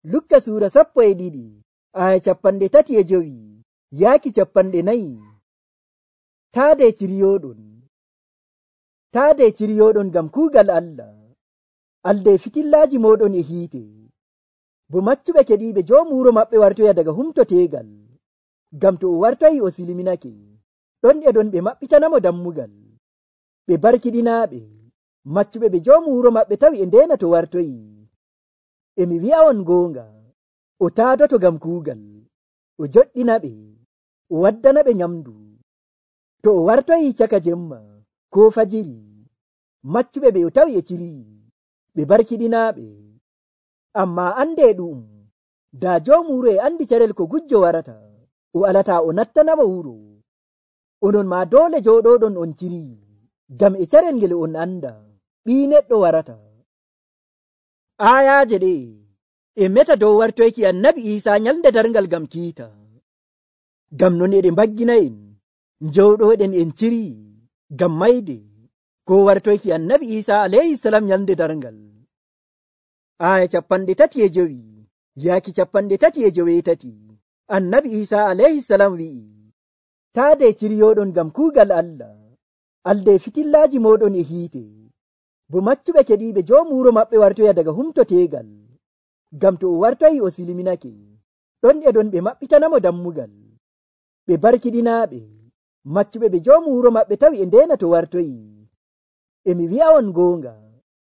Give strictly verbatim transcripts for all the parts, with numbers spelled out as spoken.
Lukka suura sappo e ɗiɗi aya capanɗe tati e jowi yaaki capanɗe nayi. Taade ciriyoɗon taade ciriyoɗon ngam kuugal Allah. Alde fitillaaji moɗon e hiite. Bo maccuɓe keɗiiɓe joomu wuro maɓɓe wartoya daga humtoteegal. Ngam to o wartoyi o silminake, ɗon e ɗon ɓe maɓɓitanamo dammugal. Ɓe barkiɗinaaɓe maccuɓe ɓe joomu wuro maɓɓe tawi e ndeena to wartoyi. E mi wi'a on goonga, o taadoto ngam kuugal, o joɗɗina ɓe, o waddana ɓe nyamdu. To o wartoyi caka jemma koo fajiri, maccuɓe ɓe o tawi e ciriyi, ɓe barkiɗinaaɓe. Ammaa ande ɗu'um, daa joomu wuro e andi carel ko gujjo warata, o alata o nattanamo wuro. Onon maa doole jooɗoɗon on ciriyi, ngam e carel ngel on anda ɓii neɗɗo warata. Aayaaje ɗe e meta dow wartoyki annabi Iisaa nyalnde darngal ngam kiita. Ngam non eɗe mbaggina en njowɗoɗen en ciriyi ngam mayde ko wartoyki annabi Iisaa alayhi salam nyalnde darngal. Aya capanɗe tati e jowi yaaki capanɗe tati e joweetati. Annabi Iisaa alayhi salam wi'i, taade ciriyoɗon ngam kuugal Allah. Alde fitillaaji moɗon e hiite. Bo maccuɓe keɗiiɓe joomu wuro maɓɓe wartoya daga humtoteegal. Ngam to o wartoyi o silminake, ɗon e ɗon ɓe maɓɓitanamo dammugal. Ɓe barkiɗinaaɓe maccuɓe ɓe joomu wuro maɓɓe tawi e ndeena to wartoyi. E mi wi'a on goonga,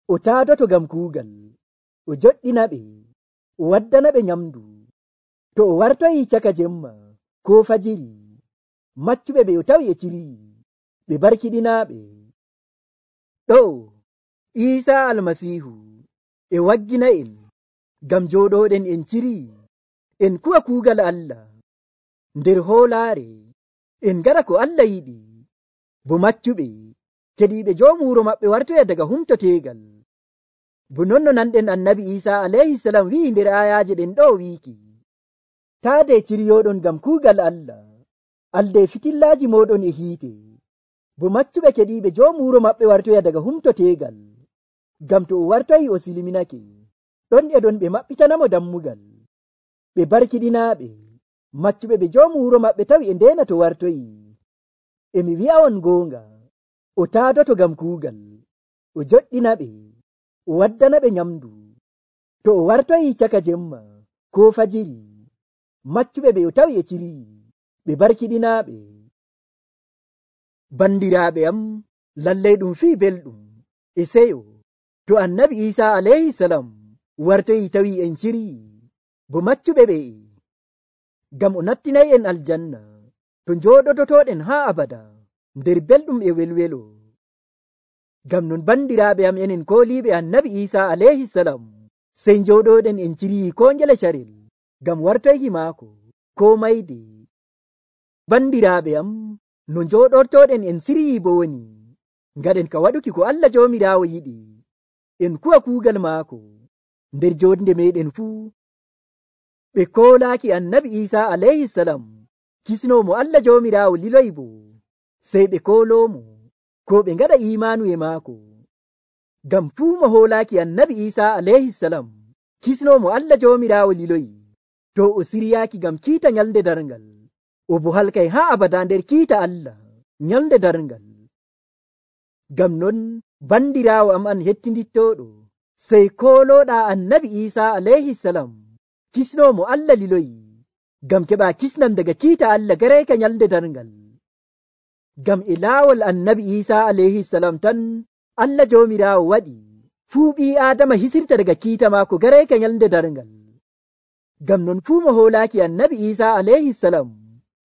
o taadoto ngam kuugal, o joɗɗina ɓe, o waddana ɓe nyamdu. To o wartoyi caka jemma koo fajiri, maccuɓe ɓe o tawi e ciriyi, ɓe barkiɗinaaɓe. Ɗo Iisaa almasiihu e waggina en ngam jooɗoɗen en ciriyi, en kuwa kuugal Allah nder hoolaare, en ngaɗa ko Allah yiɗi. Bo maccuɓe keɗiiɓe joomu wuro maɓɓe wartoya daga humtoteegal. Bo non no nanɗen annabi Iisaa alayhi salam wi'i nder ayaaje ɗen ɗo wiiki, taade ciriyoɗon ngam kuugal Allah. Alde fitillaaji moɗon e hiite. Bo maccuɓe keɗiiɓe joomu wuro maɓɓe wartoya daga humtoteegal. Ngam to o wartoyi o silminake, ɗon e ɗon ɓe maɓɓitanamo dammugal. Ɓe barkiɗinaaɓe maccuɓe ɓe joomu wuro maɓɓe tawi e ndeena to wartoyi. E mi wi'a on goonga, o taadoto ngam kuugal, o joɗɗina ɓe, o waddana ɓe nyamdu. To o wartoyi caka jemma koo fajiri, maccuɓe ɓe o tawi e ciriyi, ɓe barkiɗinaaɓe. Bandiraaɓe am, lallay ɗum fii belɗum e seyo to annabi Iisaa alayhi salam wartoyi tawi en ciriyi bo maccuɓe ɓe, ngam o nattinayi en aljanna to njooɗodotoɗen haa abada nder belɗum e welwelo. Ngam non bandiraaɓe am, enen kooliiɓe annabi Iisaa alayhi salam, sey njooɗoɗen en ciriyi koo ngele carel ngam wartoyki maako koo mayde. Bandiraaɓe am, no njooɗortoɗen en ciriyi bo woni ngaɗen ka waɗuki ko Allah Joomiraawo yiɗi, en kuwa kuugal maako nder joonde meɗen fuu. Ɓe koolaaki annabi Iisaa alayhi salam kisnoomo Allah Joomiraawo liloyi bo, sey ɓe kooloomo ko ɓe ngaɗa imaanu e maako. Ngam fuu mo hoolaaki annabi Iisaa alayhi salam kisnoomo Allah Joomiraawo liloyi, to o siryaaki ngam kiita nyalnde darngal, o bo halkay haa abada nder kiita Allah nyalnde darngal. Ngam non bandiraawo am an hettindittoɗo, sey koolooɗaa annabi Iisaa alayhi salam kisnoomo Allah liloyi, ngam keɓa kisnan daga kiita Allah garayka nyalnde darngal. Ngam e laawol annabi Iisaa alayhi salam tan Allah Joomiraawo waɗi fuu ɓii Aadama hisirta daga kiita maako garayka nyalnde darngal. Ngam non fuu mo hoolaaki annabi Iisaa alayhi salam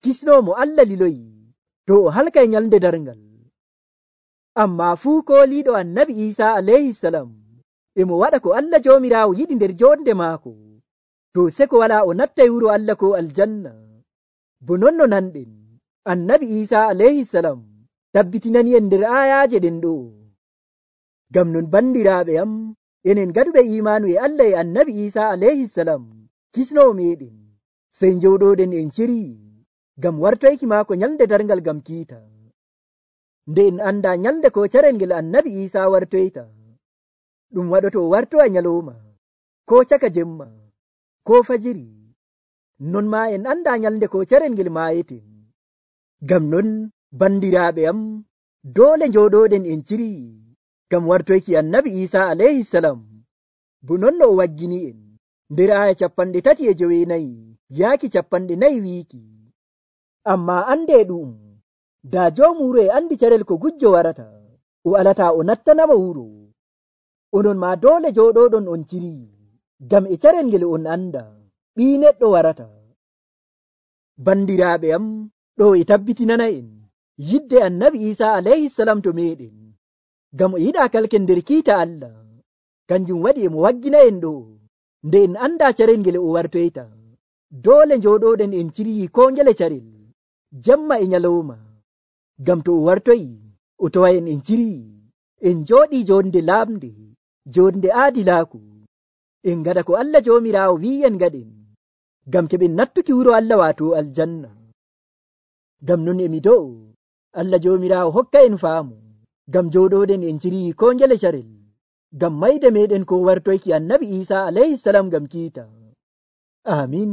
kisnoomo Allah liloyi, to o halkay nyalnde darngal. Ammaa fuu kooliiɗo annabi Iisaa alayhi salam e mo waɗa ko Allah Joomiraawo yiɗi nder joonde maako, to seko walaa o nattay wuro Allah ko aljanna. Bo non no nanɗen annabi Iisaa alayhi salam tabbitinani en nder ayaaje ɗen ɗo. Ngam non bandiraaɓe am, enen gaɗuɓe imaanu e Allah e annabi Iisaa alayhi salam kisnoo meɗen, sey njowɗoɗen en ciriyi ngam wartoyki maako nyalnde darngal ngam kiita. Nde en anda nyalnde ko carel ngel annabi Iisaa wartoyta, ɗum waɗoto o wartowa nyalowma ko caka jemma ko fajiri non ma en anda nyalde ko carel ngel maayeten. Gam non bandiraaɓe am dole njoɗoɗen en ciri gam wartoyki annabi Isa alayhi salam. Bu non no o waggini en nder aya capanɗe tati e jowenayi yaaki capanɗe nayi wiiki, amma ande ɗum da joomu wuro e andi carel ko gujjo warata, o alata o nattanama wuro. Onon ma dole joɗoɗon on ciri gam e carel ngel on anda ɓii neɗɗo warata. Bandiraaɓe am, ɗo e tabbitinana en yidde annabi Isa alayhi salam to meɗen, gam o yiɗa kalken nder kiita Allah. Kanjum waɗi emo waggina en ɗo nde en anda carel ngel o wartoyta. Dole njoɗoɗen en ciri ko ngele carel jamma e nyalowma, gam to o wartoyi o tawa en en ciri en joɗi jonde lamde, jonde aadilaaku, en gada ko Allah jomirawo wi en gaɗen, gam keɓen nattuki wuro Allah wato aljanna. Gam non emi do'o Allah jomirawo hokka en faamu gam joɗoɗen en ciri ko ngele carel, gam mayde meɗen ko wartoyki annabi Isa alayhi salam gam kiita. Amin.